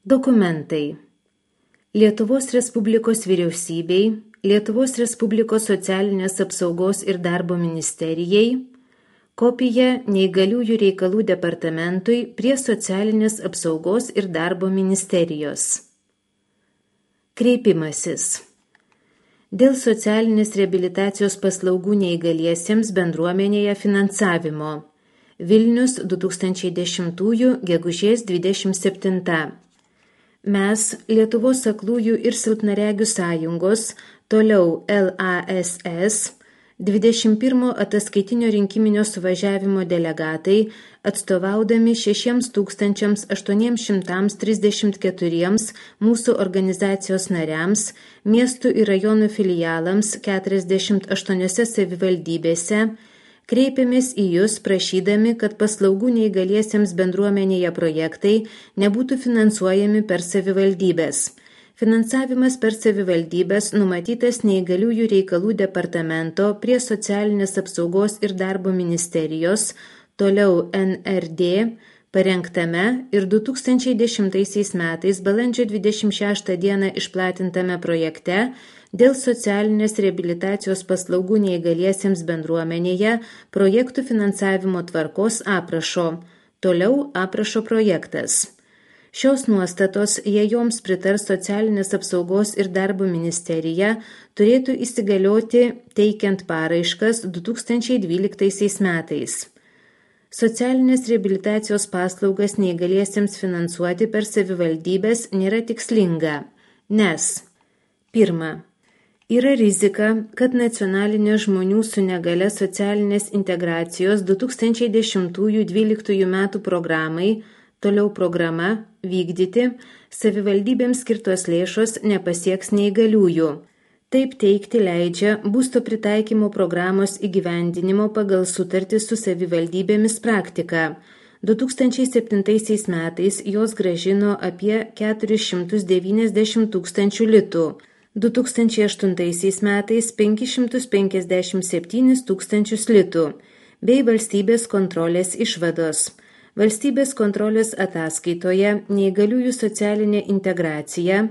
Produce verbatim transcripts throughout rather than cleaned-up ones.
Dokumentai. Lietuvos Respublikos vyriausybei, Lietuvos Respublikos socialinės apsaugos ir darbo ministerijai, kopija Neįgaliųjų reikalų departamentui prie socialinės apsaugos ir darbo ministerijos. Kreipimasis. Dėl socialinės reabilitacijos paslaugų neįgaliesiems bendruomenėje finansavimo. Vilnius du tūkstančiai dešimtųjų gegužės dvidešimt septinta. Mes, Lietuvos aklųjų ir silpnaregių sąjungos, toliau L A S S, dvidešimt pirmo ataskaitinio rinkiminio suvažiavimo delegatai, atstovaudami šešiems tūkstančiams aštuoniems šimtams trisdešimt keturiems mūsų organizacijos nariams, miestų ir rajonų filialams keturiasdešimt aštuoniose savivaldybėse, kreipėmės į Jūs prašydami, kad paslaugų neįgaliesiems bendruomenėje projektai nebūtų finansuojami per savivaldybės. Finansavimas per savivaldybės numatytas Neįgaliųjų reikalų departamento prie socialinės apsaugos ir darbo ministerijos, toliau N R D, parengtame ir du tūkstančiai dešimtaisiais metais balandžio dvidešimt šeštą dieną išplatintame projekte dėl socialinės reabilitacijos paslaugų neįgaliesiems bendruomenėje projektų finansavimo tvarkos aprašo. Toliau aprašo projektas. Šios nuostatos, jei joms pritars socialinės apsaugos ir darbo ministerija, turėtų įsigalioti teikiant paraiškas du tūkstančiai dvyliktaisiais metais. Socialinės reabilitacijos paslaugas neįgaliesiems finansuoti per savivaldybės nėra tikslinga, nes pirma, yra rizika, kad nacionalinė žmonių su negale socialinės integracijos du tūkstančiai dešimtųjų dvyliktųjų metų programai, toliau programa, vykdyti, savivaldybėms skirtos lėšos nepasieks neįgaliųjų. Taip teigti leidžia būsto pritaikymo programos įgyvendinimo pagal sutartį su savivaldybėmis praktika. du tūkstančiai septintaisiais metais jos grąžino apie keturis šimtus devyniasdešimt tūkstančių litų, du tūkstančiai aštuntaisiais metais penkis šimtus penkiasdešimt septynis tūkstančius litų, bei valstybės kontrolės išvados. Valstybės kontrolės ataskaitoje Neįgaliųjų socialinė integracija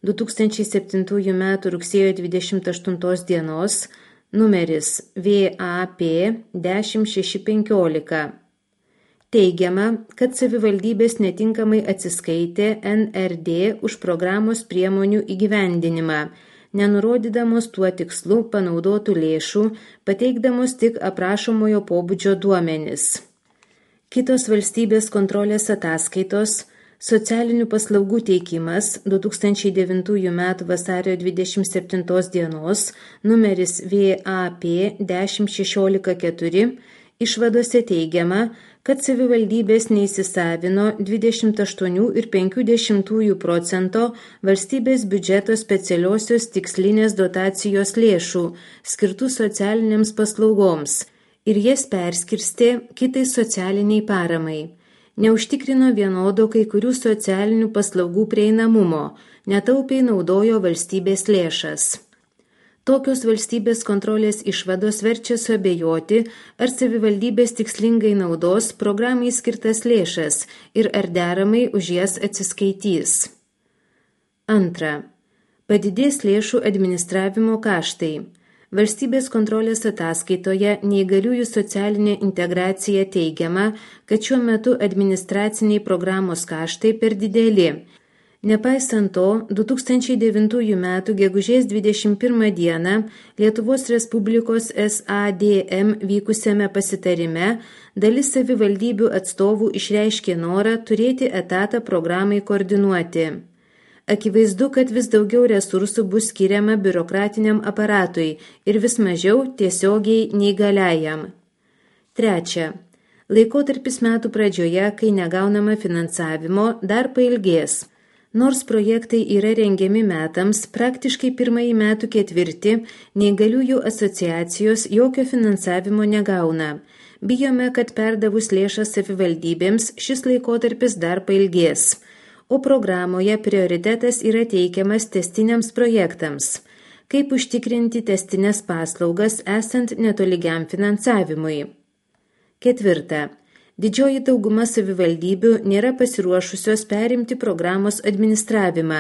du tūkstančiai septintųjų metų rugsėjo dvidešimt aštuntos dienos, numeris V A P dešimt šeši penkiolika. Teigiama, kad savivaldybės netinkamai atsiskaitė N R D už programos priemonių įgyvendinimą, nenurodydamos tuo tikslu panaudotų lėšų, pateikdamos tik aprašomojo pobūdžio duomenis. Kitos valstybės kontrolės ataskaitos, socialinių paslaugų teikimas du tūkstančiai devintųjų metų vasario dvidešimt septintos dienos, numeris V A P dešimt šešiolika keturi, išvadose teigiama, kad savivaldybės neįsisavino dvidešimt aštuoni ir penkių dešimtųjų procento valstybės biudžeto specialiosios tikslinės dotacijos lėšų, skirtų socialinėms paslaugoms, ir jas perskirstė kitai socialiniai paramai. Neužtikrino vienodo kai kurių socialinių paslaugų prieinamumo, netaupiai naudojo valstybės lėšas. Tokios valstybės kontrolės išvados verčia suabejoti, ar savivaldybės tikslingai naudos programai skirtas lėšas ir ar deramai už jas atsiskaitys. Antra. Padidės lėšų administravimo kaštai. Valstybės kontrolės ataskaitoje Neįgaliųjų socialinė integracija teigiama, kad šiuo metu administraciniai programos kaštai per dideli. Nepaisant to, du tūkstančiai devintųjų metų gegužės dvidešimt pirmą dieną Lietuvos Respublikos S A D M vykusiame pasitarime dalis savivaldybių atstovų išreiškė norą turėti etatą programai koordinuoti. Akivaizdu, kad vis daugiau resursų bus skiriama biurokratiniam aparatui ir vis mažiau tiesiogiai neįgaliajam. Trečia. Laikotarpis metų pradžioje, kai negaunama finansavimo, dar pailgės. Nors projektai yra rengiami metams, praktiškai pirmąjį metų ketvirtį neįgaliųjų asociacijos jokio finansavimo negauna. Bijome, kad perdavus lėšas savivaldybėms šis laikotarpis dar pailgės. O programoje prioritetas yra teikiamas tęstiniams projektams. Kaip užtikrinti tęstines paslaugas esant netolygiam finansavimui. Ketvirta. Didžioji dauguma savivaldybių nėra pasiruošusios perimti programos administravimą.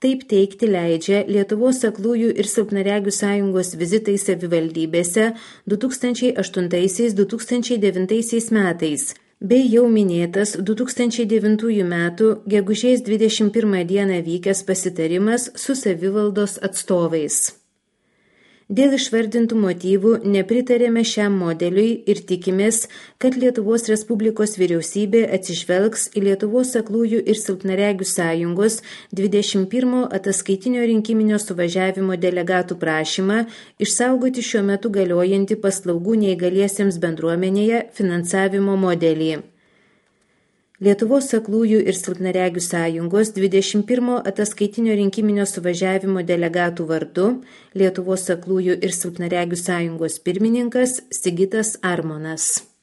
Taip teigti leidžia Lietuvos aklųjų ir silpnaregių sąjungos vizitai savivaldybėse du tūkstančiai aštuntaisiais - du tūkstančiai devintaisiais metais, bei jau minėtas du tūkstančiai devintųjų metų gegužės dvidešimt pirmą dieną vykęs pasitarimas su savivaldos atstovais. Dėl išvardintų motyvų nepritarėme šiam modeliui ir tikimės, kad Lietuvos Respublikos vyriausybė atsižvelgs į Lietuvos aklųjų ir silpnaregių sąjungos dvidešimt pirmo ataskaitinio rinkiminio suvažiavimo delegatų prašymą išsaugoti šiuo metu galiojantį paslaugų neįgaliesiems bendruomenėje finansavimo modelį. Lietuvos aklųjų ir silpnaregių sąjungos dvidešimt pirmo ataskaitinio rinkiminio suvažiavimo delegatų vardu Lietuvos aklųjų ir silpnaregių sąjungos pirmininkas Sigitas Armonas.